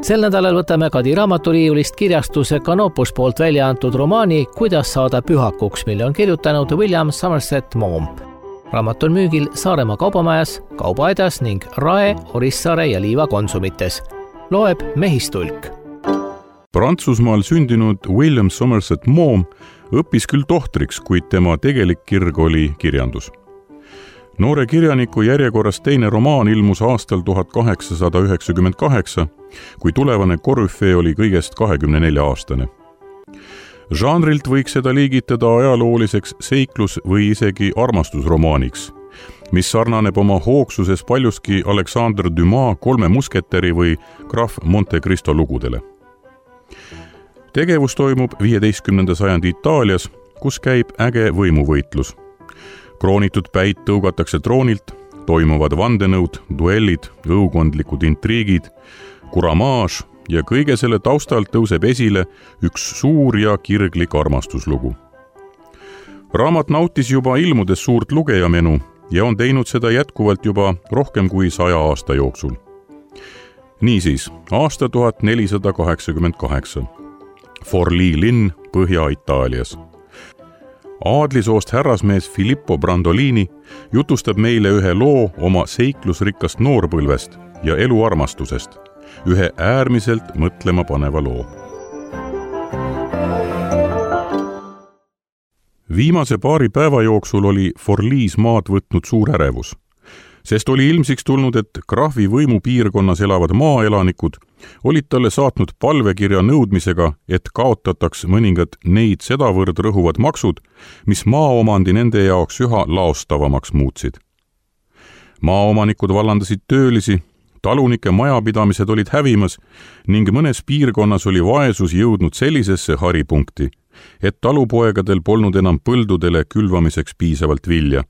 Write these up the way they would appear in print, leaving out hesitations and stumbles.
Sel nädalal võtame Kadi raamaturiiulist kirjastuse Canopus poolt välja antud romaani Kuidas saada pühakuks, mille on kirjutanud William Somerset Maugham. Raamat on müügil Saaremaa kaubamajas, Kaubaaidas ning Rae, Orissaare ja Liiva konsumites. Loeb Mehistulk. Prantsusmaal sündinud William Somerset Maugham õppis küll tohtriks, kuid tema tegelik kirg oli kirjandus. Noore kirjaniku järjekorras teine romaan ilmus aastal 1898, kui tulevane korüfee oli kõigest 24-aastane. Žanrilt võiks seda liigitada ajalooliseks seiklus- või isegi armastusromaaniks, mis sarnaneb oma hoogsuses paljuski Alexandre Dumas Kolme musketäri või Graf Monte Cristo lugudele. Tegevus toimub 15. sajandi Itaalias, kus käib äge võimuvõitlus. Kroonitud päid tõugatakse troonilt, toimuvad vandenõud, duellid, õukondlikud intriigid, kuramaaž ja kõige selle taustalt tõuseb esile üks suur ja kirglik armastuslugu. Raamat nautis juba ilmudes suurt lugejamenu ja on teinud seda jätkuvalt juba rohkem kui 100 aasta jooksul. Niisiis, aasta 1488. Forlì linn Põhja-Itaalias. Aadlisoost härrasmees Filippo Brandolini jutustab meile ühe loo oma seiklusrikkast noorpõlvest ja eluarmastusest, ühe äärmiselt mõtlema paneva loo. Viimase paari päeva jooksul oli Forlìs maad võtnud suur ärevus, sest oli ilmsiks tulnud, et krahvi võimupiirkonnas elavad maaelanikud olid talle saatnud palvekirja nõudmisega, et kaotataks mõningad neid sedavõrd rõhuvad maksud, mis maaomandi nende jaoks üha laostavamaks muutsid. Maaomanikud vallandasid töölisi, talunike majapidamised olid hävimas ning mõnes piirkonnas oli vaesus jõudnud sellisesse haripunkti, et talupoegadel polnud enam põldudele külvamiseks piisavalt vilja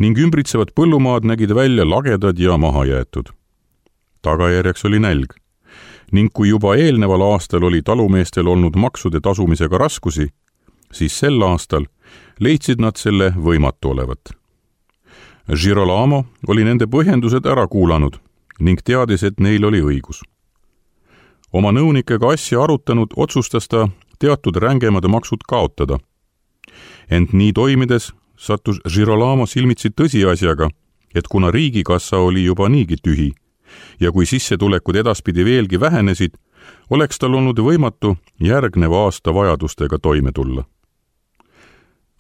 ning ümbritsevad põllumaad nägid välja lagedad ja mahajäetud. Tagajärjeks oli nälg. Ning kui juba eelneval aastal oli talumeestel olnud maksude tasumisega raskusi, siis sel aastal leidsid nad selle võimatu olevat. Girolamo oli nende põhjendused ära kuulanud ning teadis, et neil oli õigus. Oma nõunikega asja arutanud otsustas ta teatud rängemad maksud kaotada. Ent nii toimides sattus Girolamo silmitsi tõsiasjaga, et kuna riigikassa oli juba niigi tühi, ja kui sissetulekud edaspidi veelgi vähenesid, oleks tal olnud võimatu järgneva aasta vajadustega toime tulla.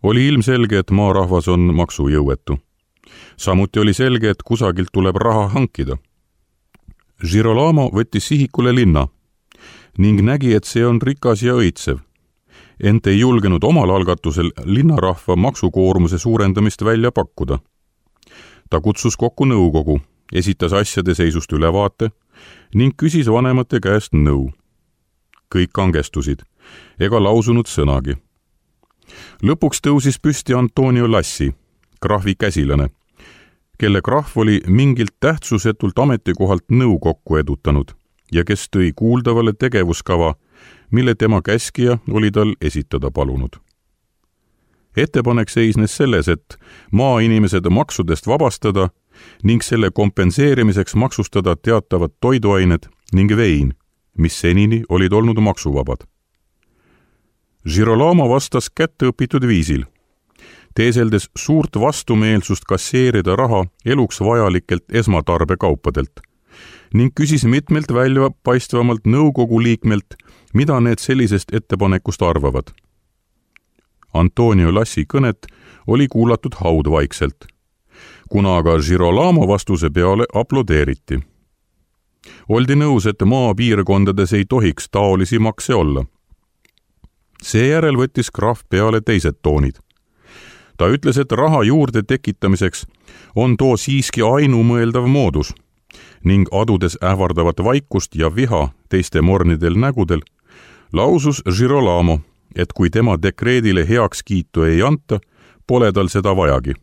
Oli ilmselge, et maarahvas on maksujõuetu. Samuti oli selge, et kusagilt tuleb raha hankida. Girolamo võttis sihikule linna ning nägi, et see on rikas ja õitsev, ent ei julgenud omal algatusel linnarahva maksukoormuse suurendamist välja pakkuda. Ta kutsus kokku nõukogu, esitas asjade seisust ülevaate ning küsis vanemate käest nõu. Kõik kangestusid, ega lausunud sõnagi. Lõpuks tõusis püsti Antonio Lassi, krahvi käsilane, kelle krahv oli mingilt tähtsusetult ametikohalt nõukokku edutanud ja kes tõi kuuldavale tegevuskava, mille tema käskija oli tal esitada palunud. Ettepanek seisnes selles, et maainimesed maksudest vabastada ning selle kompenseerimiseks maksustada teatavad toiduained ning vein, mis senini olid olnud maksuvabad. Girolamo vastas kätteõpitud viisil, teeseldes suurt vastumeelsust kasseerida raha eluks vajalikelt esmatarbekaupadelt ning küsis mitmelt välja paistvamalt nõukogu liikmelt, mida need sellisest ettepanekust arvavad. Antonio Lassi kõnet oli kuulatud haudvaikselt, kuna aga Girolamo vastuse peale aplodeeriti. Oldi nõus, et maapiirkondades ei tohiks taolisi makse olla. Seejärel võttis krahv peale teised toonid. Ta ütles, et raha juurde tekitamiseks on too siiski ainumõeldav moodus ning adudes ähvardavat vaikust ja viha teiste mornidel nägudel, lausus Girolamo, et kui tema dekreedile heakskiitu ei anta, pole tal seda vajagi.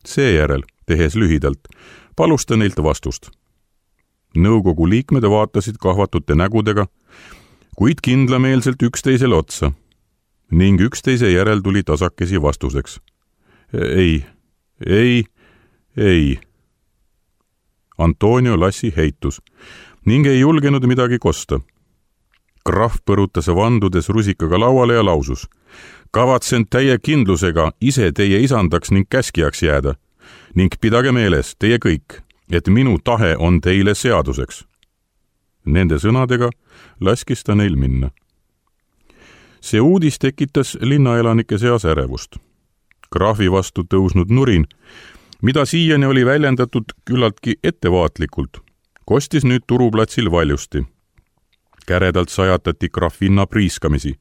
Seejärel, tehes lühidalt, palus ta neilt vastust. Nõukogu liikmed vaatasid kahvatute nägudega, kuid kindlameelselt üksteisele otsa ning üksteise järel tuli tasakesi vastuseks. Ei. Antonio Lassi heitus. ning ei julgenud midagi kosta. Krahv põrutas vandudes rusikaga lauale ja lausus: kavatsen täie kindlusega ise teie isandaks ning käskijaks jääda ning pidage meeles, teie kõik, et minu tahe on teile seaduseks. Nende sõnadega laskis ta neil minna. See uudis tekitas linnaelanike seas ärevust. Krahvi vastu tõusnud nurin, mida siiani oli väljendatud küllaltki ettevaatlikult, kostis nüüd turuplatsil valjusti. Käredalt sajatati Grafina priiskamisi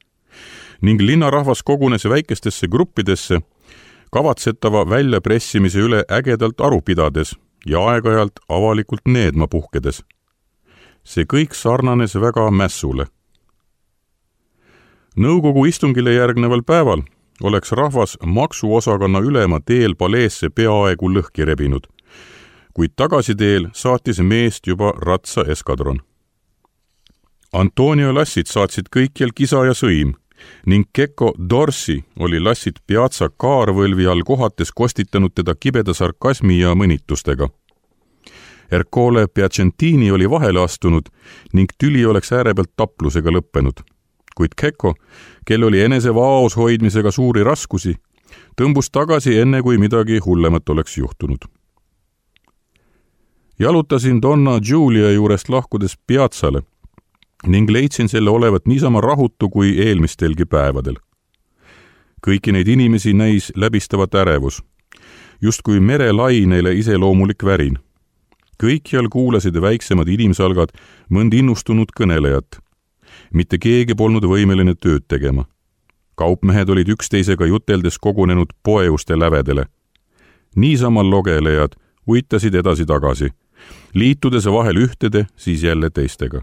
ning linnarahvas kogunes väikestesse gruppidesse, kavatsetava väljapressimise üle ägedalt aru pidades ja aeg-ajalt avalikult needma puhkedes. See kõik sarnanes väga mässule. Nõukogu istungile järgneval päeval oleks rahvas maksuosakonna ülema teel paleesse peaaegu lõhki rebinud, kuid tagasiteel saatis meest juba ratsa eskadron. Antonio lassid saatsid kõikjal kisa ja sõim ning Kekko Dorsi oli lassid Piazza kaarvõlvi all kohates kostitanud teda kibeda sarkasmi ja mõnitustega. Ercole Piacentini oli vahele astunud ning tüli oleks äärepealt taplusega lõppenud. Kuid Kekko, kel oli enese vaos hoidmisega suuri raskusi, tõmbus tagasi enne, kui midagi hullemat oleks juhtunud. Jalutasin Donna Giulia juurest lahkudes Piazzale ning leidsin selle olevat niisama rahutu kui eelmistelgi päevadel. Kõiki neid inimesi näis läbistavat ärevus, justkui merelaineile iseloomulik värin. Kõikjal kuulasid väiksemad inimsalgad mõnd innustunud kõnelejat. Mitte keegi polnud võimeline tööd tegema. Kaupmehed olid üksteisega juteldes kogunenud poeuste lävedele. Niisama logelejad uitasid edasi-tagasi, liitudes vahel ühtede, siis jälle teistega.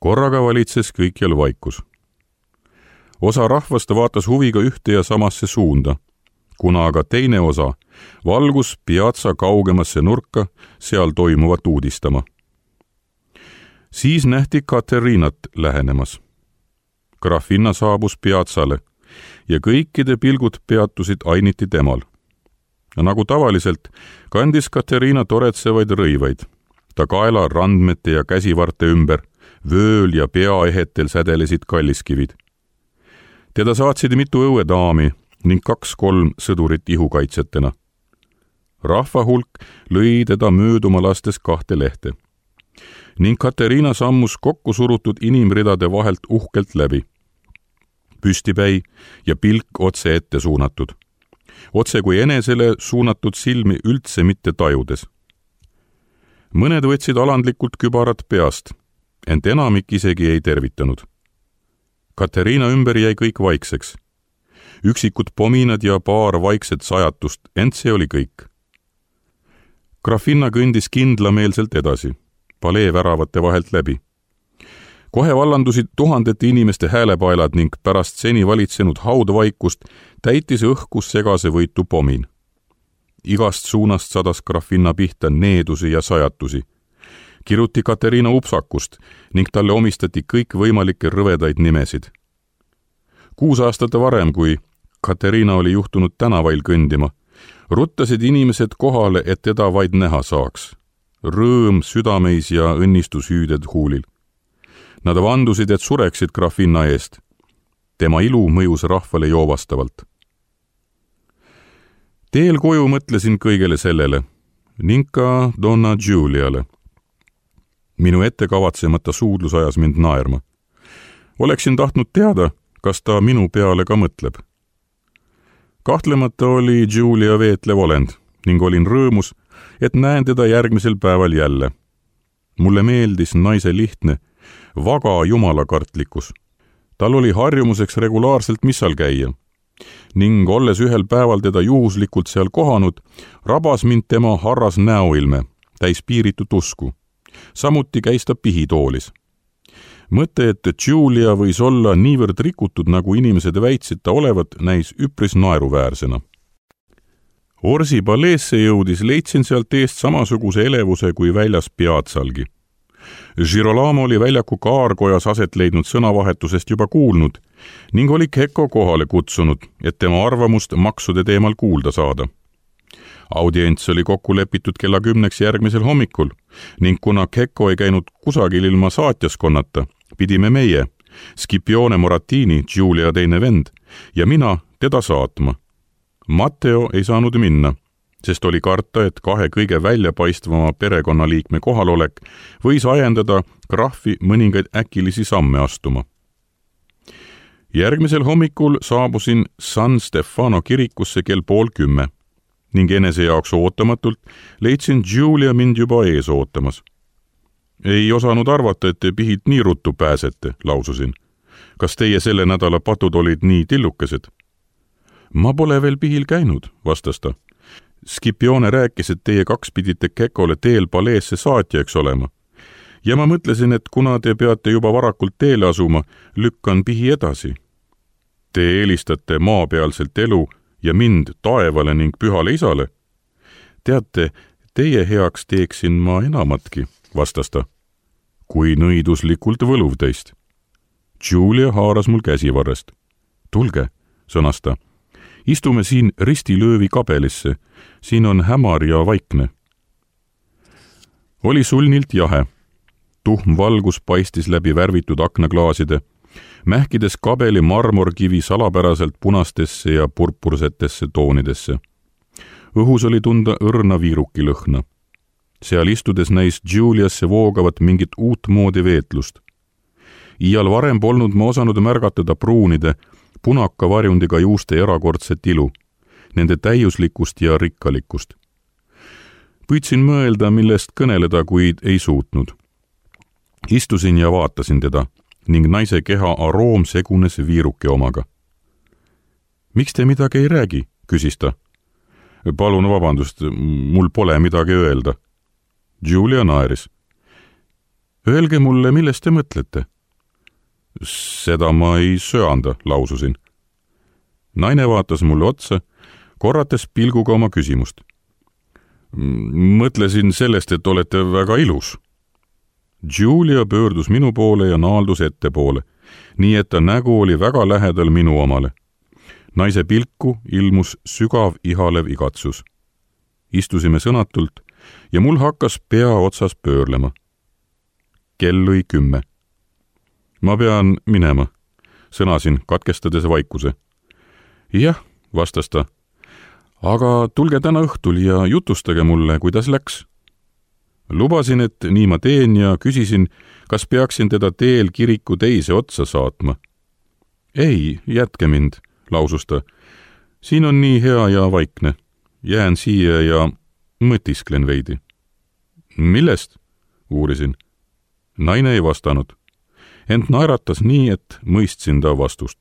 Korraga valitses kõikjal vaikus. Osa rahvast vaatas huviga ühte ja samasse suunda, kuna aga teine osa valgus Piazza kaugemasse nurka seal toimuvat uudistama. Siis nähti Katerinat lähenemas. Grafina saabus Piazzale ja kõikide pilgud peatusid ainiti temal. Nagu tavaliselt kandis Katerina toretsevaid rõivaid. Ta kaela randmete ja käsivarte ümber, vööl ja peaehetel sädelesid kalliskivid. Teda saatsid mitu õuedaami ning 2-3 sõdurit ihukaitsetena. Rahva hulk lõi teda mööduma lastes 2 lehte. Ning Katerina sammus kokku surutud inimridade vahelt uhkelt läbi. Püstipäi ja pilk otse ette suunatud. Otse kui enesele suunatud silmi üldse mitte tajudes. Mõned võtsid alandlikult kübarat peast, ent enamik isegi ei tervitanud. Katerina ümber jäi kõik vaikseks. Üksikud pominad ja paar vaikset sajatust, ent see oli kõik. Grafina kõndis kindlameelselt edasi, palee väravate vahelt läbi. Kohe vallandusid tuhandete inimeste häälepaelad ning pärast seni valitsenud haudvaikust täitis õhkus segase võitu pomin. Igast suunast sadas Grafina pihta needusi ja sajatusi. Kiruti Katerina upsakust ning talle omistati kõik võimalikke rõvedaid nimesid. 6 aastat varem, kui Katerina oli juhtunud tänavail kõndima, ruttasid inimesed kohale, et teda vaid näha saaks. Rõõm südameis ja õnnistushüüded huulil. Nad vandusid, et sureksid Grafina eest. Tema ilu mõjus rahvale joovastavalt. Teel koju mõtlesin kõigele sellele ning ka Donna Giuliale. Minu ettekavatsemata suudlus ajas mind naerma. Oleksin tahtnud teada, kas ta minu peale ka mõtleb. Kahtlemata oli Giulia veetlev olend ning olin rõõmus, et näen teda järgmisel päeval jälle. Mulle meeldis naise lihtne, vaga jumalakartlikkus. Tal oli harjumuseks regulaarselt missal käia ning olles ühel päeval teda juhuslikult seal kohanud, rabas mind tema harras näoilme, täis piiritut usku. Samuti käis ta pihitoolis. Mõte, et Giulia võis olla niivõrd rikutud, nagu inimesed väitsid ta olevat, näis üpris naeruväärsena. Orsi paleesse jõudis, leidsin sealt eest samasuguse elevuse kui väljas Piazzalgi. Girolamo oli väljaku kaarkojas aset leidnud sõnavahetusest juba kuulnud ning oli Kekko kohale kutsunud, et tema arvamust maksude teemal kuulda saada. Audients oli kokku lepitud kella 10 järgmisel hommikul ning kuna Kekko ei käinud kusagil ilma saatjaskonnata, pidime meie, Scipione Moratini, Giulia teine vend, ja mina teda saatma. Matteo ei saanud minna, sest oli karta, et kahe kõige väljapaistvama perekonnaliikme kohalolek võis ajendada krahvi mõningaid äkilisi samme astuma. Järgmisel hommikul saabusin San Stefano kirikusse kell 9:30 ning enese jaoks ootamatult leidsin Giulia mind juba ees ootamas. Ei osanud arvata, et te pihilt nii ruttu pääsete, laususin. Kas teie selle nädala patud olid nii tillukesed? Ma pole veel pihil käinud, vastas ta. Scipione rääkis, et teie kaks pidite Kekole teel paleesse saatjaks olema. Ja ma mõtlesin, et kuna te peate juba varakult teele asuma, lükkan pihi edasi. Te eelistate maapealselt elu ja mind taevale ning pühale isale. Teate, teie heaks teeksin ma enamatki, vastas ta. Kui nõiduslikult võluv teist. Giulia haaras mul käsivarrest. Tulge, sõnas ta. Istume siin ristilöövi kabelisse. Siin on hämar ja vaikne. Oli sulnilt jahe. Tuhm valgus paistis läbi värvitud aknaklaaside, mähkides kabeli marmorkivi salapäraselt punastesse ja purpursetesse toonidesse. Õhus oli tunda õrna viiruki lõhna. Seal istudes näis Giuliasse voogavat mingit uut moodi veetlust. Iial varem polnud ma osanud märgatada pruunide, punaka varjundiga juuste erakordset ilu, nende täiuslikkust ja rikkalikkust. Püüdsin mõelda, millest kõneleda, kuid ei suutnud. Istusin ja vaatasin teda ning naise keha aroom segunes viiruki omaga. Miks te midagi ei räägi, küsis ta. Palun vabandust, mul pole midagi öelda. Giulia naeris. Öelge mulle, millest te mõtlete? Seda ma ei söanda, laususin. Naine vaatas mulle otsa, korrates pilguga oma küsimust. Mõtlesin sellest, et olete väga ilus. Giulia pöördus minu poole ja naaldus ettepoole, nii et ta nägu oli väga lähedal minu omale. Naise pilku ilmus sügav ihalev igatsus. Istusime sõnatult ja mul hakkas pea otsas pöörlema. Kell lõi 10. Ma pean minema, sõnasin, katkestades vaikuse. Jah, vastas ta. Aga tulge täna õhtul ja jutustage mulle, kuidas läks. Lubasin, et nii ma teen ja küsisin, kas peaksin teda teel kiriku teise otsa saatma. Ei, jätke mind, lausus ta. Siin on nii hea ja vaikne. Jään siia ja mõtisklen veidi. Millest? Uurisin. Naine ei vastanud. Ent naeratas nii, et mõistsin ta vastust.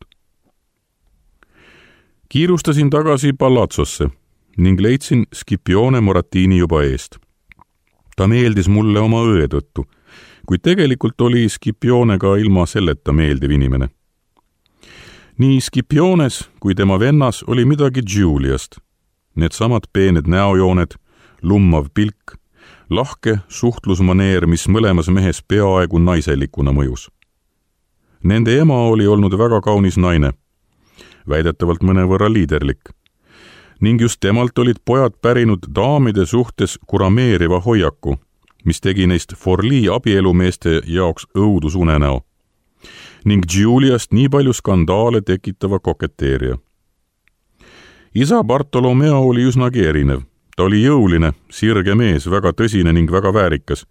Kiirustasin tagasi Palazzosse ning leidsin Scipione Moratini juba eest. Ta meeldis mulle oma õe tõttu, kuid tegelikult oli Scipione ka ilma selleta meeldiv inimene. Nii Scipiones kui tema vennas oli midagi Giuliast. Need samad peened näojooned, lummav pilk, lahke suhtlusmaneer, mis mõlemas mehes peaaegu naiselikuna mõjus. Nende ema oli olnud väga kaunis naine, väidetavalt mõnevõrra liiderlik, ning just temalt olid pojad pärinud daamide suhtes kurameeriva hoiaku, mis tegi neist Forlì abielumeeste jaoks õudusunenäo, ning Giuliast nii palju skandaale tekitava koketeeria. Isa Bartolomeo oli üsnagi erinev. Ta oli jõuline, sirge mees, väga tõsine ning väga väärikas,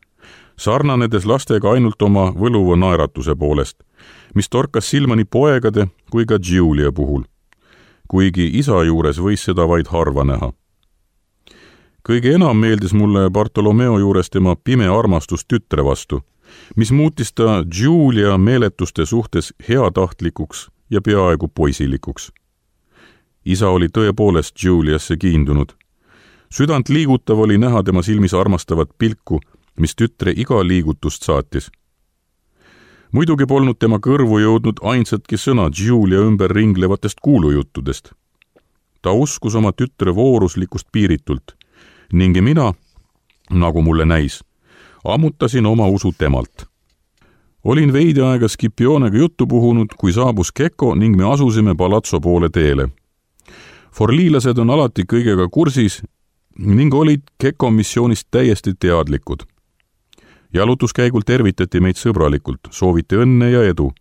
sarnanedes lastega ainult oma võluva naeratuse poolest, mis torkas silma nii poegade kui ka Giulia puhul, kuigi isa juures võis seda vaid harva näha. Kõige enam meeldis mulle Bartolomeo juures tema pime armastus tütre vastu, mis muutis ta Giulia meeletuste suhtes heatahtlikuks ja peaaegu poisilikuks. Isa oli tõepoolest Giuliasse kiindunud. Südant liigutav oli näha tema silmis armastavat pilku, mis tütre iga liigutust saatis. Muidugi polnud tema kõrvu jõudnud ainsatki sõna Giulia ümber ringlevatest kuulujuttudest. Ta uskus oma tütre vooruslikust piiritult ning mina, nagu mulle näis, ammutasin oma usu temalt. Olin veidi aega Scipionega juttu puhunud, kui saabus Kekko ning me asusime Palazzo poole teele. Forliilased on alati kõigega kursis ning olid Keko missioonist täiesti teadlikud. Jalutuskäigul tervitati meid sõbralikult, sooviti õnne ja edu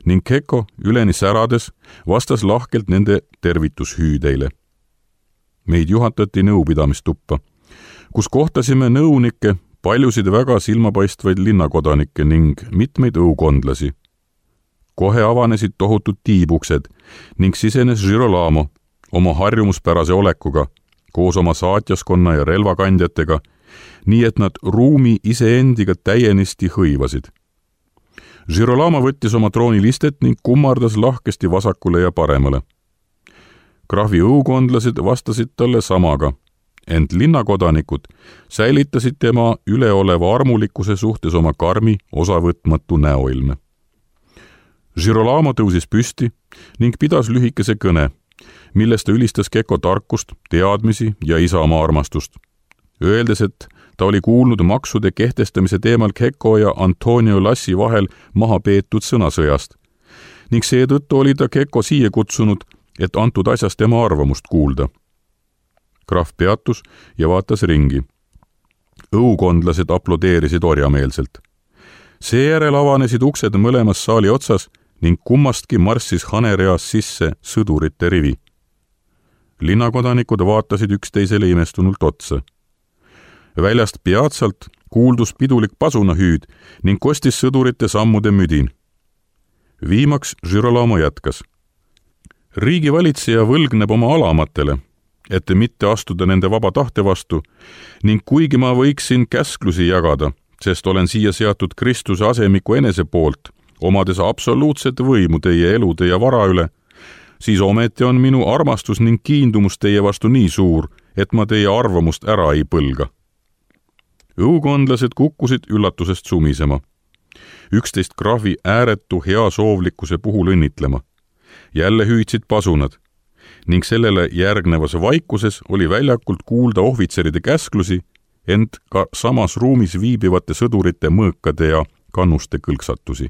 ning Keko üleni särades vastas lahkelt nende tervitushüüdeile. Meid juhatati nõupidamistuppa, kus kohtasime nõunikke, paljusid väga silmapaistvaid linnakodanikke ning mitmeid õukondlasi. Kohe avanesid tohutud tiibuksed ning sisenes Girolamo oma harjumuspärase olekuga, koos oma saatjaskonna ja relvakandjatega, nii et nad ruumi iseendiga täienisti hõivasid. Girolamo võttis oma troonilistet ning kummardas lahkesti vasakule ja paremale. Krahvi õukondlased vastasid talle samaga, ent linnakodanikud säilitasid tema üleoleva armulikkuse suhtes oma karmi, osavõtmatu näoilme. Girolamo tõusis püsti ning pidas lühikese kõne, milles ta ülistas Keko tarkust, teadmisi ja isamaa armastust, öeldes, et ta oli kuulnud maksude kehtestamise teemal Keko ja Antonio Lassi vahel maha peetud sõnasõjast ning seetõttu oli ta Keko siia kutsunud, et antud asjas tema arvamust kuulda. Krahv peatus ja vaatas ringi. Õukondlased aplodeerisid orjameelselt. Seejärel avanesid uksed mõlemas saali otsas ning kummastki marssis hanereas sisse sõdurite rivi. Linnakodanikud vaatasid üksteisele imestunult otsa. Väljast peatsalt kuuldus pidulik pasunahüüd ning kostis sõdurite sammude müdin. Viimaks Girolamo jätkas. Riigivalitseja võlgneb oma alamatele, et mitte astuda nende vaba tahte vastu ning kuigi ma võiksin käsklusi jagada, sest olen siia seatud Kristuse asemiku enese poolt, omades absoluutset võimu teie elude ja vara üle, siis ometi on minu armastus ning kiindumus teie vastu nii suur, et ma teie arvamust ära ei põlga. Õukondlased kukkusid üllatusest sumisema. Üksteist krahvi ääretu heasoovlikkuse puhul õnnitlema. Jälle hüüdsid pasunad ning sellele järgnevas vaikuses oli väljakult kuulda ohvitseride käsklusi, ent ka samas ruumis viibivate sõdurite mõõkade ja kannuste kõlksatusi.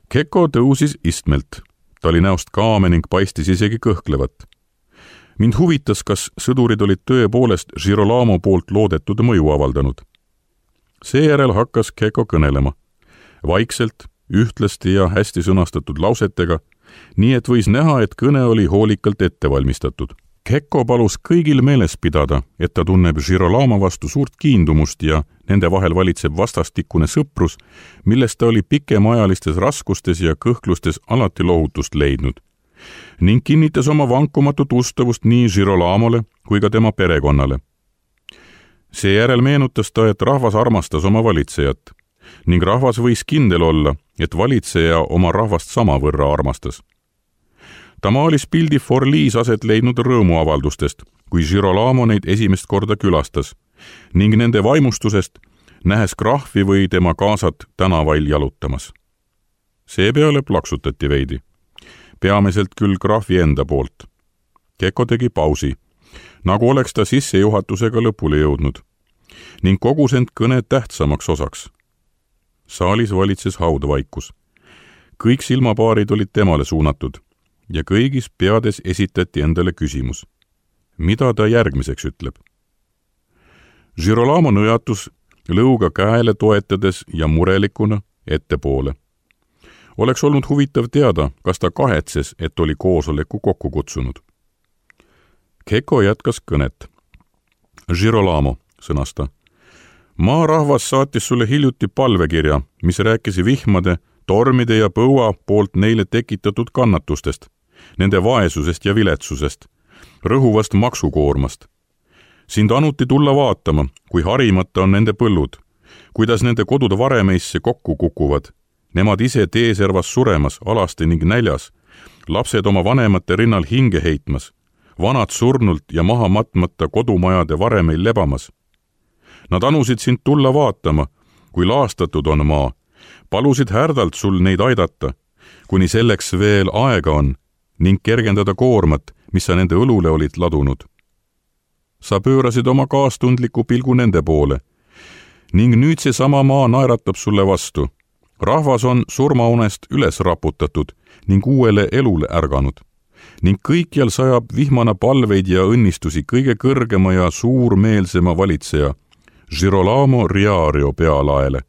Keko tõusis istmelt. Ta oli näost kaame ning paistis isegi kõhklevat. Mind huvitas, kas sõdurid olid tõepoolest Girolamo poolt loodetud mõju avaldanud. Seejärel hakkas Keko kõnelema. Vaikselt, ühtlasti ja hästi sõnastatud lausetega, nii et võis näha, et kõne oli hoolikalt ettevalmistatud. Keko palus kõigil meeles pidada, et ta tunneb Girolamo vastu suurt kiindumust ja nende vahel valitseb vastastikune sõprus, millest ta oli pikemaajalistes raskustes ja kõhklustes alati lohutust leidnud, ning kinnitas oma vankumatut ustavust nii Girolamole kui ka tema perekonnale. Seejärel meenutas ta, et rahvas armastas oma valitsejat ning rahvas võis kindel olla, et valitseja oma rahvast samavõrra armastas. Ta maalis pildi Forliis aset leidnud rõõmuavaldustest, kui Girolamo neid esimest korda külastas ning nende vaimustusest, nähes krahvi või tema kaasat tänavail jalutamas. Seepeale plaksutati veidi. Peamiselt küll krahvi enda poolt. Keko tegi pausi, nagu oleks ta sissejuhatusega lõpule jõudnud ning kogus end kõne tähtsamaks osaks. Saalis valitses haudvaikus. Kõik silmapaarid olid temale suunatud ja kõigis peades esitati endale küsimus. Mida ta järgmiseks ütleb? Girolamo nõjatus lõuga käele toetades ja murelikuna ettepoole. Oleks olnud huvitav teada, kas ta kahetses, et oli koosoleku kokku kutsunud. Keko jätkas kõnet. Girolamo, sõnas ta. Maarahvas saatis sulle hiljuti palvekirja, mis rääkis vihmade, tormide ja põua poolt neile tekitatud kannatustest, nende vaesusest ja viletsusest, rõhuvast maksukoormast. Sind anuti tulla vaatama, kui harimata on nende põllud, kuidas nende kodud varemeisse kokku kukuvad, nemad ise teeservas suremas, alasti ning näljas, lapsed oma vanemate rinnal hinge heitmas, vanad surnult ja maha matmata kodumajade varemeil lebamas. Nad anusid sind tulla vaatama, kui laastatud on maa, palusid härdalt sul neid aidata, kuni selleks veel aega on, ning kergendada koormat, mis sa nende õlule olid ladunud. Sa pöörasid oma kaastundliku pilgu nende poole, ning nüüd see sama maa naeratab sulle vastu. Rahvas on surmaunest üles raputatud ning uuele elule ärganud. ning kõikjal sajab vihmana palveid ja õnnistusi kõige kõrgema ja suurmeelsema valitseja Girolamo Riario pealaele.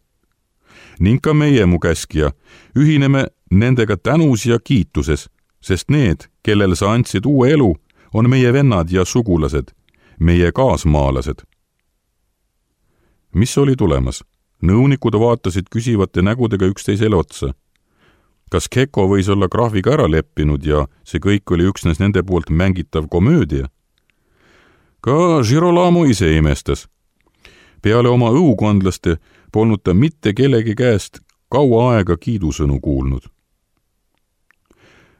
Ning ka meie, mu käskija, ühineme nendega tänus ja kiituses, sest need, kellel sa andsid uue elu, on meie vennad ja sugulased, meie kaasmaalased. Mis oli tulemas? Nõunikud vaatasid küsivate nägudega üksteisele otsa. Kas Keko võis olla krahviga ära leppinud ja see kõik oli üksnes nende poolt mängitav komöödia? Ka Girolamo ise imestas. Peale oma õukondlaste polnud ta mitte kellegi käest kaua aega kiidusõnu kuulnud.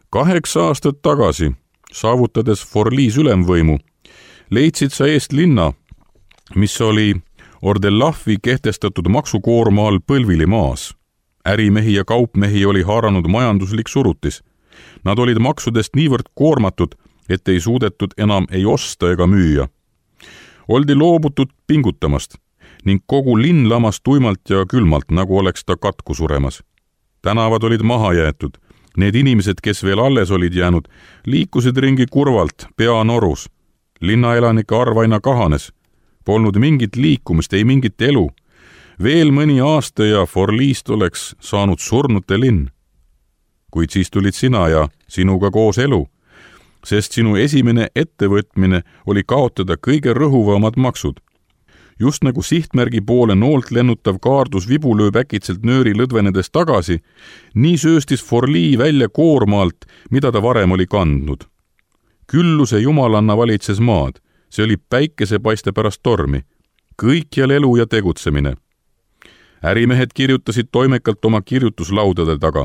8 aastat tagasi, saavutades Forliis ülemvõimu, leidsid sa eest linna, mis oli Ordellafi kehtestatud maksukoorma all põlvili maas. Ärimehi ja kaupmehi oli haaranud majanduslik surutis. Nad olid maksudest niivõrd koormatud, et ei suudetud enam ei osta ega müüa. Oldi loobutud pingutamast ning kogu linn lamas tuimalt ja külmalt, nagu oleks ta katku suremas. Tänavad olid maha jäetud. Need inimesed, kes veel alles olid jäänud, liikusid ringi kurvalt, pea norus. Linnaelanike arv aina kahanes. Polnud mingit liikumist, ei mingit elu. Veel mõni aasta ja Forliist oleks saanud surnute linn. Kuid siis tulid sina ja sinuga koos elu, sest sinu esimene ettevõtmine oli kaotada kõige rõhuvamad maksud. Just nagu sihtmärgi poole noolt lennutav kaardus vibu lööb äkitselt nööri lõdvenedes tagasi, nii sööstis Forlii välja koormaalt, mida ta varem oli kandnud. Külluse jumalanna valitses maad, see oli päikesepaiste pärast tormi, kõikjal elu ja tegutsemine. Ärimehed kirjutasid toimekalt oma kirjutuslaudade taga.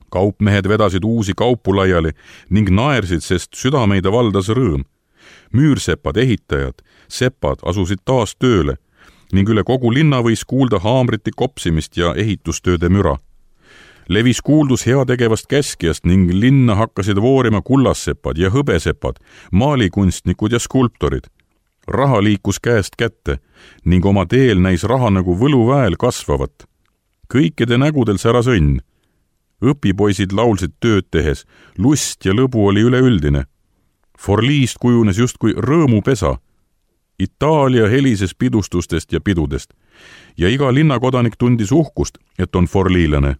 Kaupmehed vedasid uusi kaupu laiali ning naersid, sest südameid valdas rõõm. Müürsepad, ehitajad, sepad asusid taas tööle ning üle kogu linna võis kuulda haamriti kopsimist ja ehitustööde müra. Levis kuuldus heategevast käskijast ning linna hakkasid voorima kullassepad ja hõbesepad, maalikunstnikud ja skulptorid. Raha liikus käest kätte ning oma teel näis raha nagu võluväel kasvavat. Kõikide nägudel säras õnn. Õpipoisid laulsid tööd tehes, lust ja lõbu oli üleüldine. Forliist kujunes justkui rõõmupesa. Itaalia helises pidustustest ja pidudest ja iga linnakodanik tundis uhkust, et on forliilane.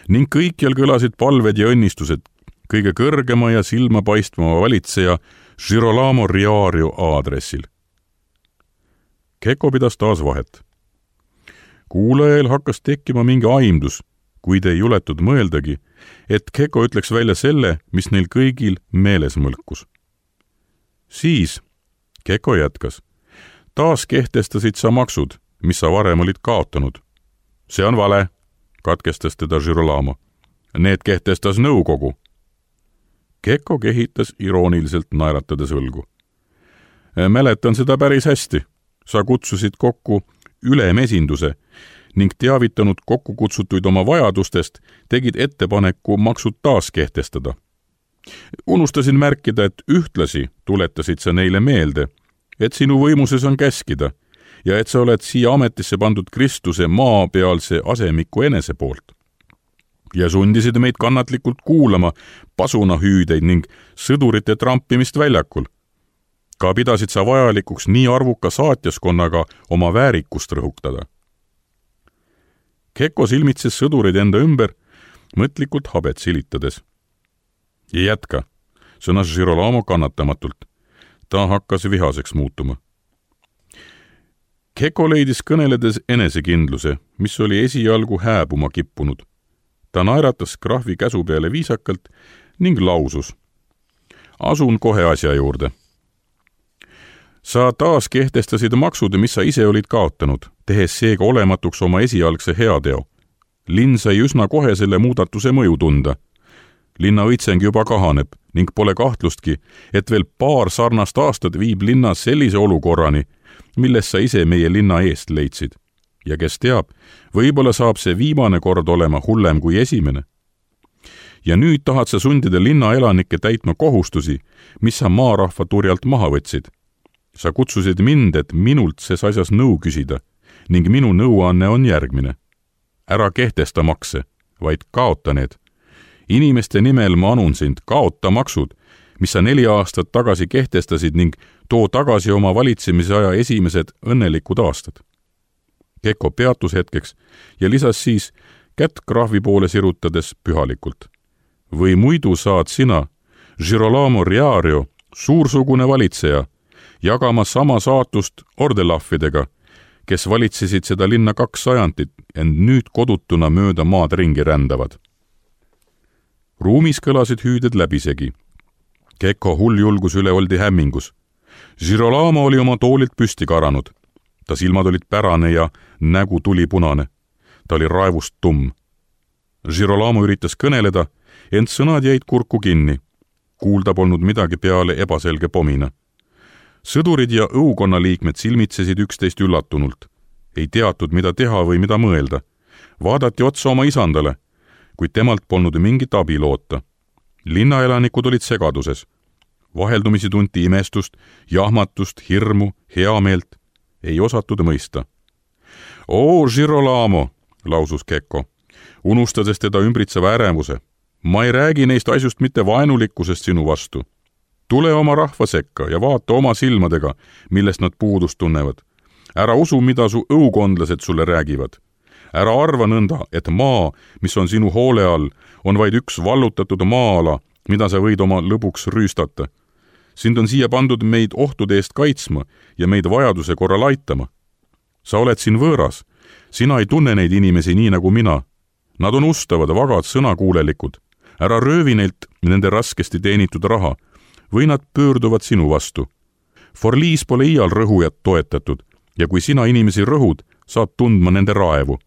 Ning kõikjal kõlasid palved ja õnnistused kõige kõrgema ja silmapaistvama valitseja Girolamo Riario aadressil. Keko pidas taas vahet. Kuulajal hakkas tekkima mingi aimdus, kuid ei juletud mõeldagi, et Keko ütleks välja selle, mis neil kõigil meeles mõlkus. Siis Keko jätkas. Taas kehtestasid sa maksud, mis sa varem olid kaotanud. See on vale, katkestas teda Girolamo. Need kehtestas nõukogu. Keko kehitas irooniliselt naeratades õlgu. Mäletan seda päris hästi. Sa kutsusid kokku ülemesinduse ning teavitanud kokku kutsutuid oma vajadustest, tegid ettepaneku maksud taas kehtestada. Unustasin märkida, et ühtlasi tuletasid sa neile meelde, et sinu võimuses on käskida ja et sa oled siia ametisse pandud Kristuse maapealse asemiku enese poolt. Ja sundisid meid kannatlikult kuulama pasunahüüdeid ning sõdurite trampimist väljakul. Ka pidasid sa vajalikuks nii arvuka saatjaskonnaga oma väärikust rõhutada. Keko silmitses sõdurid enda ümber, mõtlikult habet silitades. Ja jätka, sõnas Girolamo kannatamatult. Ta hakkas vihaseks muutuma. Keko leidis kõneledes enesekindluse, mis oli esialgu hääbuma kippunud. Ta naeratas krahvi käsu peale viisakalt ning lausus. Asun kohe asja juurde. Sa taas kehtestasid maksud, mis sa ise olid kaotanud, tehes seega olematuks oma esialgse heateo. Linn sai üsna kohe selle muudatuse mõju tunda. Linna õitseng juba kahaneb ning pole kahtlustki, et veel paar sarnast aastat viib linna sellise olukorrani, milles sa ise meie linna eest leidsid. Ja kes teab, võib-olla saab see viimane kord olema hullem kui esimene. Ja nüüd tahad sa sundida linna elanikke täitma kohustusi, mis sa maarahva turjalt maha võtsid. Sa kutsusid mind, et minult ses asjas nõu küsida ning minu nõuanne on järgmine. Ära kehtesta makse, vaid kaota need. inimeste nimel ma anun sind, kaota maksud, mis sa 4 aastat tagasi kehtestasid ning too tagasi oma valitsemise aja esimesed õnnelikud aastad. Kekko peatus hetkeks ja lisas siis kätt krahvi poole sirutades pühalikult. Või muidu saad sina, Girolamo Riario, suursugune valitseja, jagama sama saatust ordelahvidega, kes valitsesid seda linna 2 sajandit, ent nüüd kodutuna mööda maad ringi rändavad. Ruumis kõlasid hüüded läbisegi. Kekko hulljulgus üle oldi hämmingus. Girolamo oli oma toolilt püsti karanud. Ta silmad olid pärane ja nägu tulipunane. Ta oli raevust tumm. Girolamo üritas kõneleda, ent sõnad jäid kurku kinni. Kuulda polnud midagi peale ebaselge pomina. Sõdurid ja õukonna liikmed silmitsesid üksteist üllatunult. Ei teatud, mida teha või mida mõelda. Vaadati otsa oma isandale, kuid temalt polnud mingit abi loota. Linnaelanikud olid segaduses. Vaheldumisi tunti imestust, jahmatust, hirmu, heameelt. Ei osatud mõista. "Oo, Girolamo," lausus Kekko, unustades teda ümbritseva ärevuse. "Ma ei räägi neist asjust mitte vaenulikkusest sinu vastu. Tule oma rahva sekka ja vaata oma silmadega, millest nad puudust tunnevad. Ära usu, mida su õukondlased sulle räägivad. Ära arva nõnda, et maa, mis on sinu hoole all, on vaid üks vallutatud maa-ala, mida sa võid oma lõbuks rüüstata. Sind on siia pandud meid ohtude eest kaitsma ja meid vajaduse korral aitama. Sa oled siin võõras. Sina ei tunne neid inimesi nii nagu mina. Nad on ustavad, vagad, sõnakuulelikud. Ära röövi neilt nende raskesti teenitud raha, või nad pöörduvad sinu vastu. Forliis pole iial rõhujat toetatud ja kui sina inimesi rõhud, saad tundma nende raevu.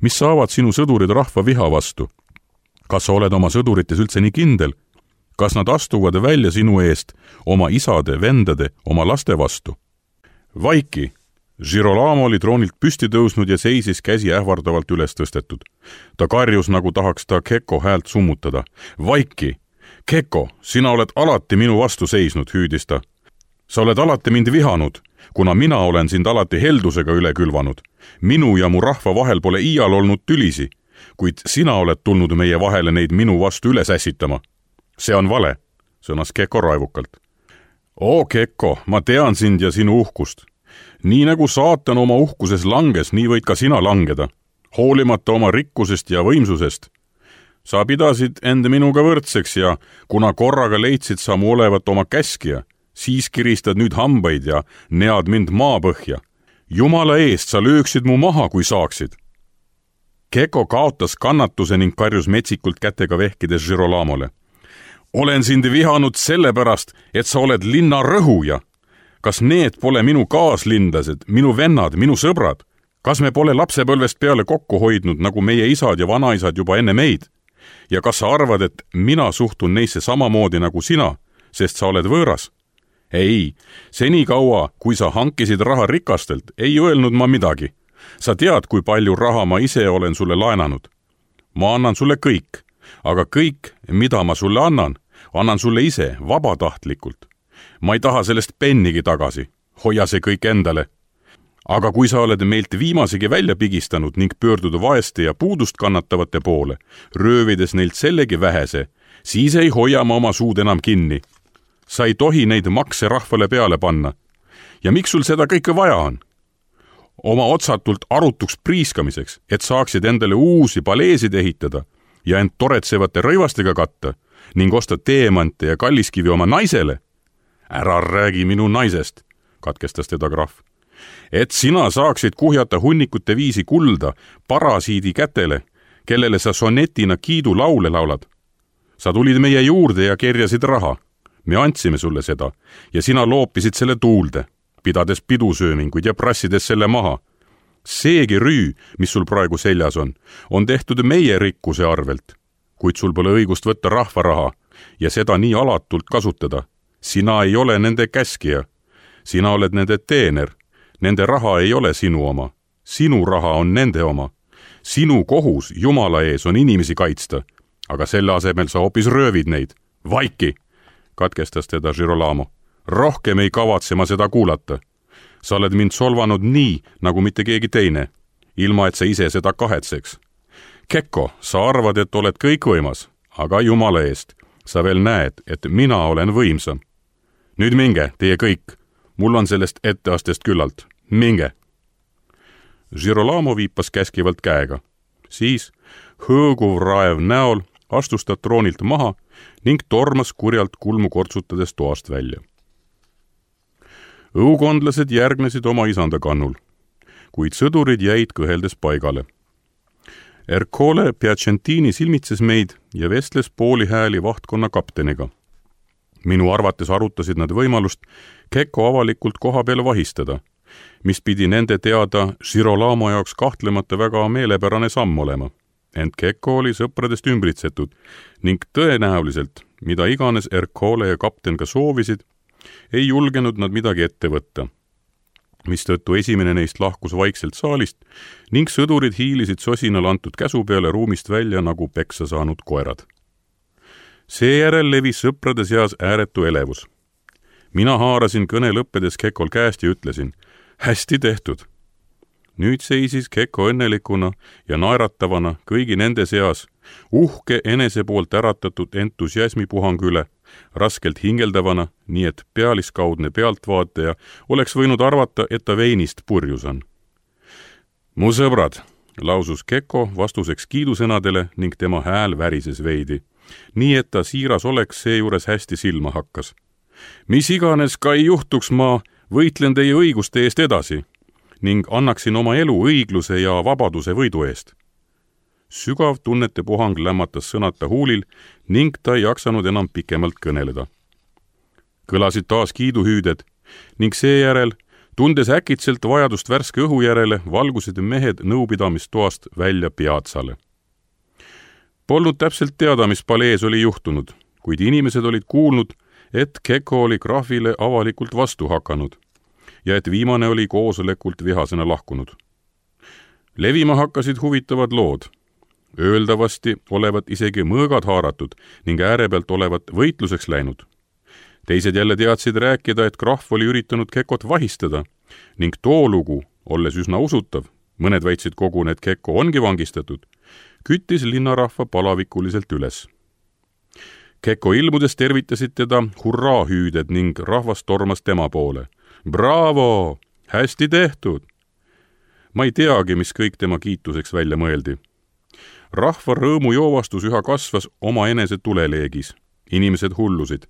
Mis saavad sinu sõdurid rahva viha vastu? Kas sa oled oma sõdurites üldse nii kindel? Kas nad astuvad välja sinu eest oma isade, vendade, oma laste vastu? Vaiki! Girolamo oli troonilt püsti tõusnud ja seisis käsi ähvardavalt üles tõstetud. Ta karjus, nagu tahaks ta Kekko häält summutada. Vaiki! Kekko, sina oled alati minu vastu seisnud, hüüdis ta. Sa oled alati mind vihanud, kuna mina olen sind alati heldusega üle külvanud. Minu ja mu rahva vahel pole iial olnud tülisi, kuid sina oled tulnud meie vahele neid minu vastu üles ässitama. See on vale, sõnas Kekko raevukalt. Oo, Kekko, ma tean sind ja sinu uhkust. Nii nagu saatan oma uhkuses langes, nii võid ka sina langeda, hoolimata oma rikkusest ja võimsusest. Sa pidasid end minuga võrdseks ja kuna korraga leidsid sa mu olevat oma käskija, siis kiristad nüüd hambaid ja nead mind maapõhja. Jumala eest sa lööksid mu maha, kui saaksid. Kekko kaotas kannatuse ning karjus metsikult kätega vehkides Girolamole. Olen sind vihanud sellepärast, et sa oled linna rõhuja. Kas need pole minu kaaslindlased, minu vennad, minu sõbrad? Kas me pole lapsepõlvest peale kokku hoidnud, nagu meie isad ja vanaisad juba enne meid? Ja kas sa arvad, et mina suhtun neisse samamoodi nagu sina, sest sa oled võõras? Ei, senikaua, kui sa hankisid raha rikastelt, ei öelnud ma midagi. Sa tead, kui palju raha ma ise olen sulle laenanud. Ma annan sulle kõik, aga kõik, mida ma sulle annan sulle ise vabatahtlikult. Ma ei taha sellest pennigi tagasi, hoia see kõik endale. Aga kui sa oled meilt viimasegi välja pigistanud ning pöördud vaeste ja puudust kannatavate poole, röövides neilt sellegi vähese, siis ei hoia ma oma suud enam kinni. Sa ei tohi neid makse rahvale peale panna. Ja miks sul seda kõike vaja on? Oma otsatult arutuks priiskamiseks, et saaksid endale uusi paleesid ehitada ja end toretsevate rõivastega katta ning osta teemante ja kalliskivi oma naisele. Ära räägi minu naisest, katkestas teda krahv. Et sina saaksid kuhjata hunnikute viisi kulda parasiidi kätele, kellele sa sonetina kiidu laule laulad. Sa tulid meie juurde ja kerjasid raha. Me andsime sulle seda ja sina loopisid selle tuulde, pidades pidusööminguid ja prassides selle maha. Seegi rüü, mis sul praegu seljas on tehtud meie rikkuse arvelt, kuid sul pole õigust võtta rahva raha ja seda nii alatult kasutada. Sina ei ole nende käskija. Sina oled nende teener. Nende raha ei ole sinu oma. Sinu raha on nende oma. Sinu kohus Jumala ees on inimesi kaitsta, aga selle asemel sa hoopis röövid neid. Vaiki, katkestas teda Girolamo. Rohkem ei kavatse ma seda kuulata. Sa oled mind solvanud nii, nagu mitte keegi teine, ilma et sa ise seda kahetseks. Kekko, sa arvad, et oled kõikvõimas, aga jumala eest, sa veel näed, et mina olen võimsam. Nüüd minge, teie kõik, mul on sellest etteastest küllalt, minge. Girolamo viipas käskivalt käega. Siis hõõguv raev näol astus ta troonilt maha ning tormas kurjalt kulmu kortsutades toast välja. Õukondlased järgnesid oma isanda kannul, kuid sõdurid jäid kõheldes paigale. Ercole Piacentini silmitses meid ja vestles pooli hääli vahtkonna kapteniga. Minu arvates arutasid nad võimalust Kekko avalikult koha peal vahistada, mis pidi nende teada Girolamo jaoks kahtlemata väga meelepärane samm olema. Ent Kekko oli sõpradest ümbritsetud ning tõenäoliselt, mida iganes Ercole ja kapten ka soovisid, ei julgenud nad midagi ette võtta, mistõttu esimene neist lahkus vaikselt saalist ning sõdurid hiilisid sosinal antud käsu peale ruumist välja nagu peksa saanud koerad. Seejärel levis sõprade seas ääretu elevus. Mina haarasin kõne lõppedes Kekkol käest ja ütlesin, hästi tehtud. Nüüd seisis Kekko õnnelikuna ja naeratavana kõigi nende seas, uhke enese poolt äratatud entusiasmipuhang üle, raskelt hingeldavana, nii et pealiskaudne pealtvaataja oleks võinud arvata, et ta veinist purjus on. Mu sõbrad, lausus Kekko vastuseks kiidusõnadele ning tema hääl värises veidi, nii et ta siiras oleks seejuures hästi silma hakkas. Mis iganes ka ei juhtuks, ma võitlen teie õiguste eest edasi ning annaksin oma elu õigluse ja vabaduse võidu eest. Sügav tunnete puhang lämmatas sõnata huulil ning ta ei jaksanud enam pikemalt kõneleda. Kõlasid taas kiiduhüüded ning seejärel, tundes äkitselt vajadust värske õhu järele, valgusid mehed nõupidamistoast välja piatsale. Polnud täpselt teada, mis palees oli juhtunud, kuid inimesed olid kuulnud, et Kekko oli krahvile avalikult vastu hakanud ja et viimane oli koosolekult vihasena lahkunud. Levima hakkasid huvitavad lood. Öeldavasti olevat isegi mõõgad haaratud ning ääre pealt olevat võitluseks läinud. Teised jälle teadsid rääkida, et krahv oli üritanud Kekkot vahistada ning too lugu, olles üsna usutav, mõned väitsid koguni, et Kekko ongi vangistatud, küttis linnarahva palavikuliselt üles. Kekko ilmudes tervitasid teda hurraahüüded ning rahvas tormas tema poole. Bravo! Hästi tehtud! Ma ei teagi, mis kõik tema kiituseks välja mõeldi. Rahva rõõmujoovastus üha kasvas oma enese tuleleegis. Inimesed hullusid.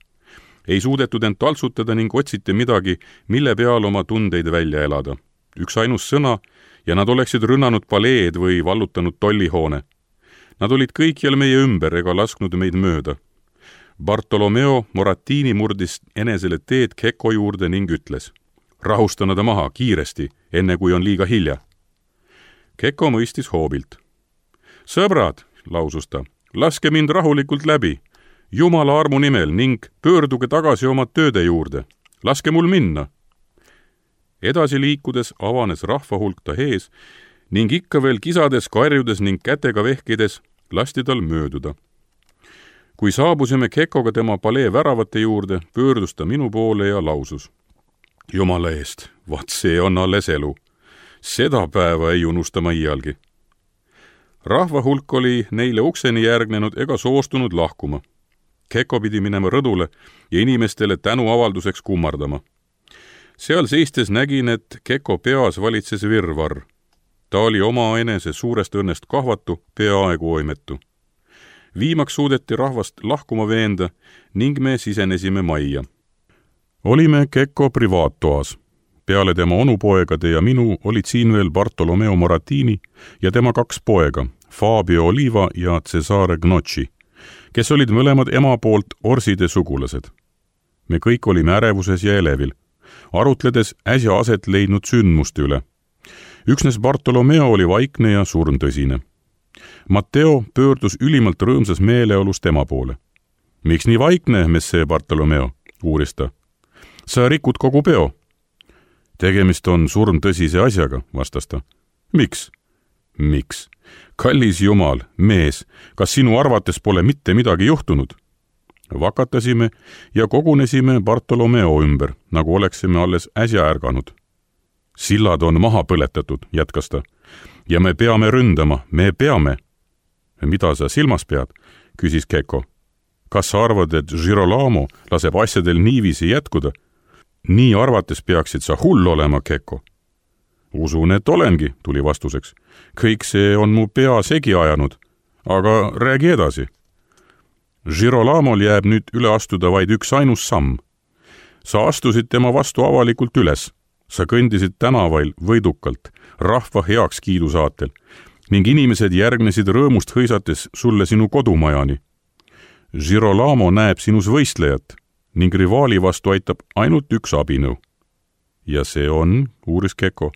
Ei suudetud end taltsutada ning otsiti midagi, mille peal oma tundeid välja elada. Üks ainus sõna ja nad oleksid rünnanud paleed või vallutanud tollihoone. Nad olid kõikjal meie ümber ega lasknud meid mööda. Bartolomeo Moratini murdis enesele teed Kekko juurde ning ütles, rahusta nad maha kiiresti, enne kui on liiga hilja. Kekko mõistis hoobilt. Sõbrad, lausus ta, laske mind rahulikult läbi, Jumala armu nimel ning pöörduge tagasi oma tööde juurde. Laske mul minna. Edasi liikudes avanes rahva hulk ta ees ning ikka veel kisades, karjudes ning kätega vehkides lasti tal mööduda. Kui saabusime Kekkoga tema palee väravate juurde, pöördus ta minu poole ja lausus. Jumala eest, vaat see on alles elu. Seda päeva ei unusta ma iialgi. Rahva hulk oli neile ukseni järgnenud ega soostunud lahkuma. Kekko pidi minema rõdule ja inimestele tänuavalduseks kummardama. Seal seistes nägin, et Kekko peas valitses virvarr. Ta oli oma enese suurest õnnest kahvatu, peaaegu oimetu. Viimaks suudeti rahvast lahkuma veenda ning me sisenesime majja. Olime Kekko privaattoas. Peale tema onupoegade ja minu olid siin veel Bartolomeo Moratini ja tema 2 poega, Fabio Oliva ja Cesare Gnocchi, kes olid mõlemad ema poolt Orside sugulased. Me kõik olime ärevuses ja elevil, arutledes äsja aset leidnud sündmuste üle. Üksnes Bartolomeo oli vaikne ja surmtõsine. Matteo pöördus ülimalt rõõmsas meeleolus tema poole. Miks nii vaikne, messe Bartolomeo, uuris ta. Sa rikud kogu peo. Tegemist on surmtõsise asjaga, vastas ta. Miks? Miks? Kallis Jumal, mees, kas sinu arvates pole mitte midagi juhtunud? Vakatasime ja kogunesime Bartolomeo ümber, nagu oleksime alles äsja ärganud. Sillad on maha põletatud, jätkas ta. Ja me peame ründama, me peame. Mida sa silmas pead? küsis Keko. Kas sa arvad, et Girolamo laseb asjadel niiviisi jätkuda? Nii arvates peaksid sa hull olema, Keko. Usun, et olengi, tuli vastuseks. Kõik see on mu pea segi ajanud, aga räägi edasi. Girolamol jääb nüüd üle astuda vaid üks ainus samm. Sa astusid tema vastu avalikult üles. Sa kõndisid tänavail võidukalt, rahva heakskiidu saatel ning inimesed järgnesid rõõmust hõisates sulle sinu kodumajani. Girolamo näeb sinus võistlejat ning rivaali vastu aitab ainult üks abinõu. Ja see on, uuris Keko,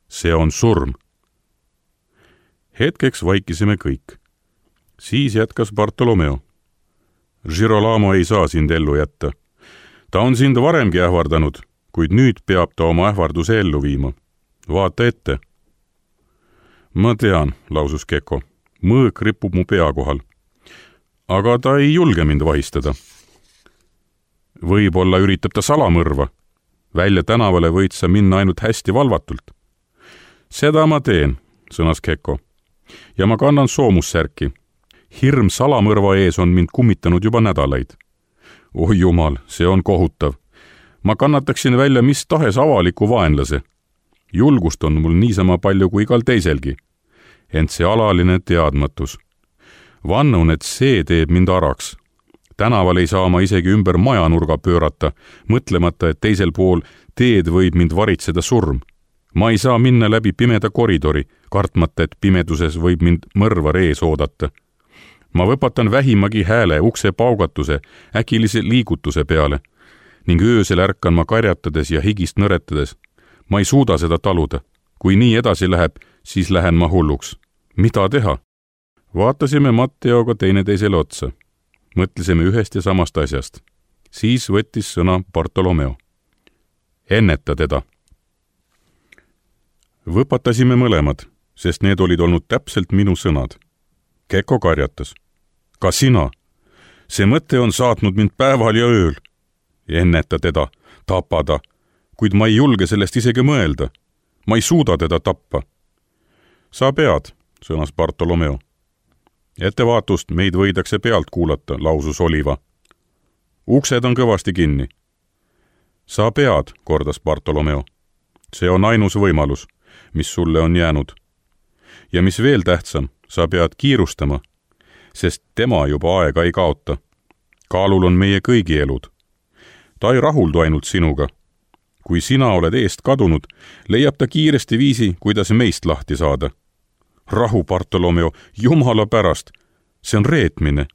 see on surm. Hetkeks vaikisime kõik. Siis jätkas Bartolomeo. Girolamo ei saa sind ellu jätta. Ta on sind varemgi ähvardanud, kuid nüüd peab ta oma ähvarduse ellu viima. Vaata ette. Ma tean, lausus Keko. Mõõk ripub mu pea kohal. Aga ta ei julge mind vahistada. Võib-olla üritab ta salamõrva. Välja tänavale võid sa minna ainult hästi valvatult. Seda ma teen, sõnas Keko. Ja ma kannan soomussärki. Hirm salamõrva ees on mind kummitanud juba nädalaid. Oi jumal, see on kohutav. Ma kannataksin välja mis tahes avaliku vaenlase. Julgust on mul niisama palju kui igal teiselgi. Ent see alaline teadmatus. Vannun, et see teeb mind araks. Tänaval ei saa ma isegi ümber majanurga pöörata, mõtlemata, et teisel pool teed võib mind varitseda surm. Ma ei saa minna läbi pimeda koridori, kartmata, et pimeduses võib mind mõrvar ees oodata. Ma võpatan vähimagi hääle ukse paugatuse, äkilise liigutuse peale ning öösel ärkan ma karjatades ja higist nõretades. Ma ei suuda seda taluda. Kui nii edasi läheb, siis lähen ma hulluks. Mida teha? Vaatasime Matteoga teineteisele otsa. Mõtlesime ühest ja samast asjast. Siis võttis sõna Bartolomeo. Enneta teda. Võpatasime mõlemad, sest need olid olnud täpselt minu sõnad. Keko karjatas. Ka sina. See mõte on saatnud mind päeval ja ööl. Enneta teda, tapada, kuid ma ei julge sellest isegi mõelda. Ma ei suuda teda tappa. Sa pead, sõnas Bartolomeo. Ettevaatust meid võidakse pealt kuulata, lausus Oliva. Uksed on kõvasti kinni. Sa pead, kordas Bartolomeo. See on ainus võimalus, mis sulle on jäänud. Ja mis veel tähtsam, sa pead kiirustama, sest tema juba aega ei kaota. Kaalul on meie kõigi elud. Ta ei rahuldu ainult sinuga. Kui sina oled eest kadunud, leiab ta kiiresti viisi, kuidas meist lahti saada. Rahu, Bartolomeo, jumala pärast. See on reetmine.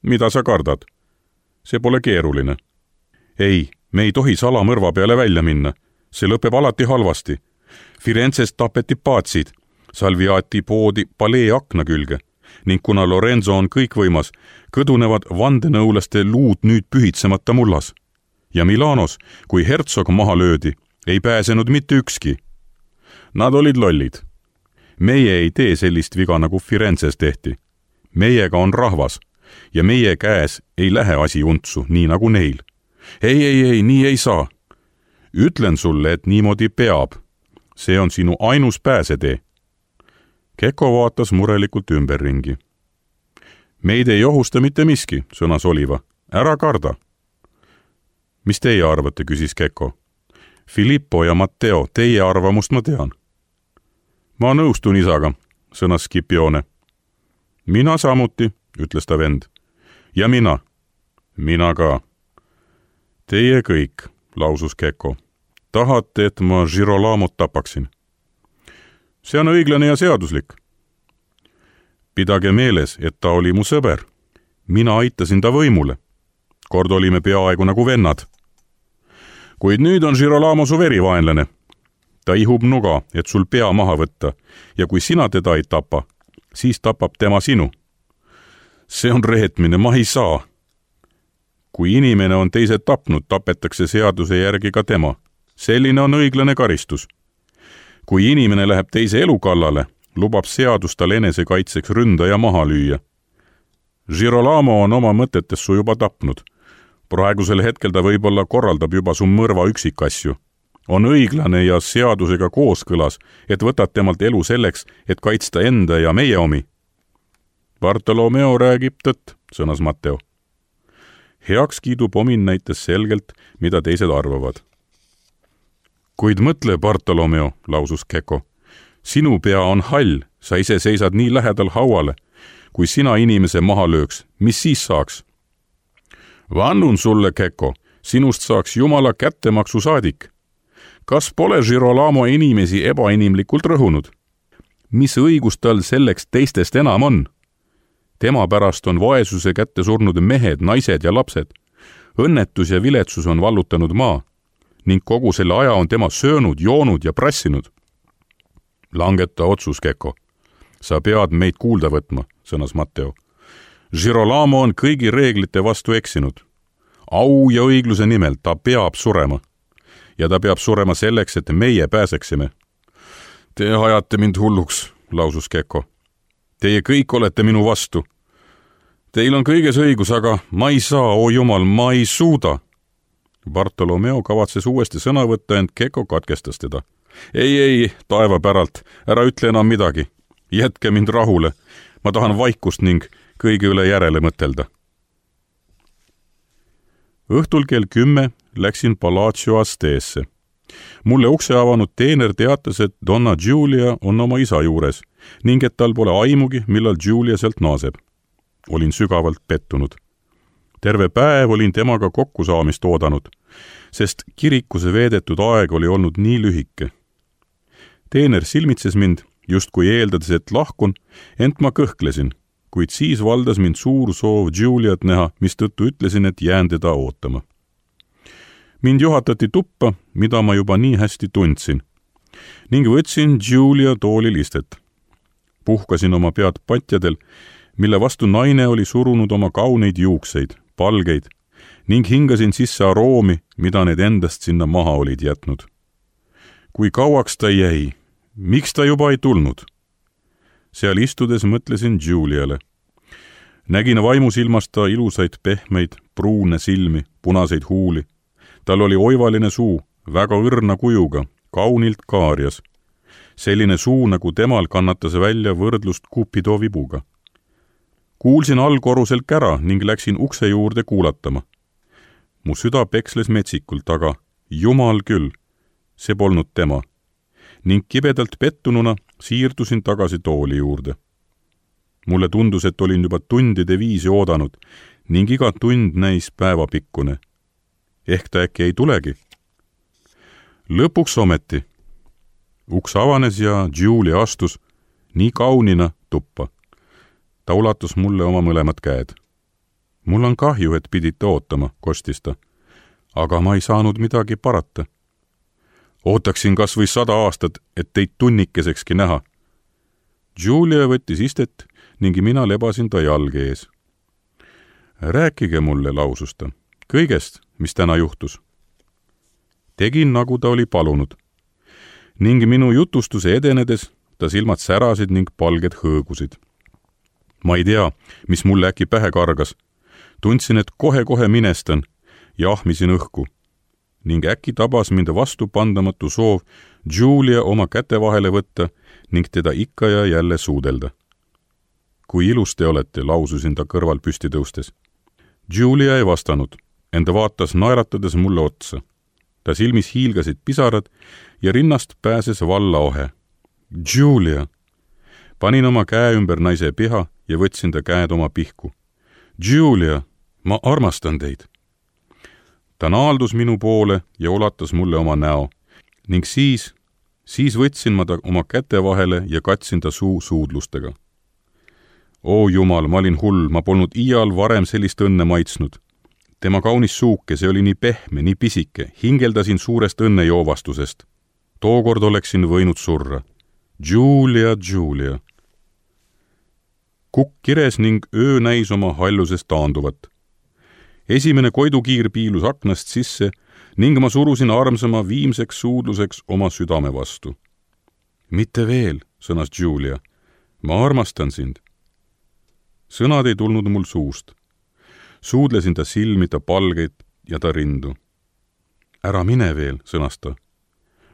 Mida sa kardad? See pole keeruline. Ei, me ei tohi salamõrva peale välja minna. See lõpeb alati halvasti. Firenzes tapeti paatsid, Salviati poodi palee akna külge ning kuna Lorenzo on kõikvõimas, kõdunevad vandenõulaste luud nüüd pühitsemata mullas. Ja Milanos, kui hertsog maha löödi, ei pääsenud mitte ükski. Nad olid lollid. Meie ei tee sellist viga, nagu Firenzes tehti. Meiega on rahvas ja meie käes ei lähe asi untsu, nii nagu neil. Ei, nii ei saa. Ütlen sulle, et niimoodi peab. See on sinu ainus pääsetee. Keko vaatas murelikult ümberringi. Meid ei ohusta mitte miski, sõnas Oliva. Ära karda. Mis teie arvate, küsis Keko. Filippo ja Matteo, teie arvamust ma tean. Ma nõustun isaga, sõnas Scipione. Mina samuti, ütles ta vend. Ja mina. Mina ka. Teie kõik, lausus Keko. Tahate, et ma Girolamot tapaksin? See on õiglane ja seaduslik. Pidage meeles, et ta oli mu sõber. Mina aitasin ta võimule. Kord olime peaaegu nagu vennad. Kuid nüüd on Girolamo su verivaenlane. Ta ihub nuga, et sul pea maha võtta, ja kui sina teda ei tapa, siis tapab tema sinu. See on reetmine, ma ei saa. Kui inimene on teised tapnud, tapetakse seaduse järgi ka tema. Selline on õiglane karistus. Kui inimene läheb teise elu kallale, lubab seadus tal enesekaitseks ründaja maha lüüa. Girolamo on oma mõtetes su juba tapnud. Praegusel hetkel ta võib-olla korraldab juba su mõrva üksikasju. On õiglane ja seadusega kooskõlas, et võtad temalt elu selleks, et kaitsta enda ja meie omi. Bartolomeo räägib tõtt, sõnas Matteo. Heakskiidu pomin näitas selgelt, mida teised arvavad. Kuid mõtle, Bartolomeo, lausus Keko. Sinu pea on hall, sa ise seisad nii lähedal hauale. Kui sina inimese maha lööks, mis siis saaks? Vannun sulle, Keko, sinust saaks Jumala kättemaksu saadik. Kas pole Girolamo inimesi ebainimlikult rõhunud? Mis õigus tal selleks teistest enam on? Tema pärast on vaesuse kätte surnud mehed, naised ja lapsed. Õnnetus ja viletsus on vallutanud maa ning kogu selle aja on tema söönud, joonud ja prassinud. Langeta otsus, Keko. Sa pead meid kuulda võtma, sõnas Matteo. Girolamo on kõigi reeglite vastu eksinud. Au ja õigluse nimel ta peab surema. Ja ta peab surema selleks, et meie pääseksime. Te ajate mind hulluks, lausus Keko. Teie kõik olete minu vastu. Teil on kõiges õigus, aga ma ei saa, o Jumal, ma ei suuda. Bartolomeo kavatses uuesti sõna võtta, ent Keko katkestas teda. Ei, taeva päralt, ära ütle enam midagi. Jätke mind rahule. Ma tahan vaikust ning kõige üle järele mõtelda. Õhtul kell 10 läksin Palazzo Asteesse. Mulle ukse avanud teener teatas, et Donna Giulia on oma isa juures ning et tal pole aimugi, millal Giulia sealt naaseb. Olin sügavalt pettunud. Terve päev olin temaga kokkusaamist oodanud, sest kirikuse veedetud aeg oli olnud nii lühike. Teener silmitses mind, justkui eeldades, et lahkun, ent ma kõhklesin, kuid siis valdas mind suur soov Giuliat näha, mistõttu ütlesin, et jään teda ootama. Mind juhatati tuppa, mida ma juba nii hästi tundsin, ning võtsin Giulia toolil istet. Puhkasin oma pead patjadel, mille vastu naine oli surunud oma kauneid juukseid, palgeid, ning hingasin sisse aroomi, mida need endast sinna maha olid jätnud. Kui kauaks ta jäi, miks ta juba ei tulnud? Seal istudes mõtlesin Giuliale. Nägin vaimusilmast ta ilusaid pehmeid, pruune silmi, punaseid huuli. Tal oli oivaline suu, väga õrna kujuga, kaunilt kaarjas. Selline suu, nagu temal kannatas välja võrdlust Cupido vibuga. Kuulsin allkorruselt kära ning läksin ukse juurde kuulatama. Mu süda peksles metsikult, aga Jumal küll, see polnud tema. Ning kibedalt pettununa siirdusin tagasi tooli juurde. Mulle tundus, et olin juba tundide viisi oodanud ning iga tund näis päevapikkune. Ehk ta äkki ei tulegi. Lõpuks ometi. Uks avanes ja Giulia astus nii kaunina tuppa. Ta ulatus mulle oma mõlemad käed. Mul on kahju, et pidite ootama, kostis ta. Aga ma ei saanud midagi parata. Ootaksin kas või 100 aastat, et teid tunnikesekski näha. Giulia võttis istet ning mina lebasin ta jalge ees. Rääkige mulle, lausus ta, kõigest, mis täna juhtus. Tegin, nagu ta oli palunud. Ning minu jutustuse edenedes ta silmad särasid ning palged hõõgusid. Ma ei tea, mis mulle äkki pähe kargas. Tundsin, et kohe minestan ja ahmisin õhku. Ning äkki tabas mind vastupandamatu soov Giulia oma käte vahele võtta ning teda ikka ja jälle suudelda. Kui ilus te olete, laususin ta kõrval püsti tõustes. Giulia ei vastanud, enda vaatas naeratades mulle otsa. Ta silmis hiilgasid pisarad ja rinnast pääses vallaohe. Giulia! Panin oma käe ümber naise piha ja võtsin ta käed oma pihku. Giulia, ma armastan teid. Ta naaldus minu poole ja ulatas mulle oma näo ning siis võtsin ma ta oma käte vahele ja katsin ta suu suudlustega. O Jumal, ma olin hull, ma polnud iial varem sellist õnne maitsnud. Tema kaunis suuke, see oli nii pehme, nii pisike, hingeldasin suurest õnnejoovastusest. Tookord oleksin võinud surra. Giulia. Kukk kires ning öö näis oma hallusest taanduvat. Esimene koidukiir piilus aknast sisse ning ma surusin armsama viimseks suudluseks oma südame vastu. Mitte veel, sõnas Giulia. Ma armastan sind. Sõnad ei tulnud mul suust. Suudlesin ta silmi, ta palgeid ja ta rindu. Ära mine veel, sõnas ta.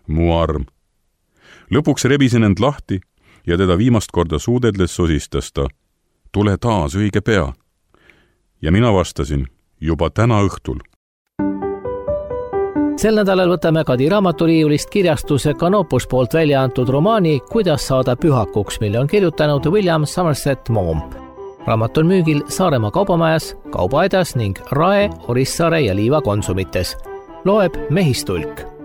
Mu arm. Lõpuks rebisin end lahti ja teda viimast korda suudedles sosistas ta. tule taas õige pea. Ja mina vastasin, juba täna õhtul. Sel nädalal võtame Kadi raamaturiiulist kirjastuse Canopus poolt välja antud romaani Kuidas saada pühakuks, mille on kirjutanud William Somerset Maugham. Raamat on müügil Saaremaa kaubamajas, Kaubaaidas ning Rae, Orissaare ja Liiva konsumites. Loeb Mehistulk.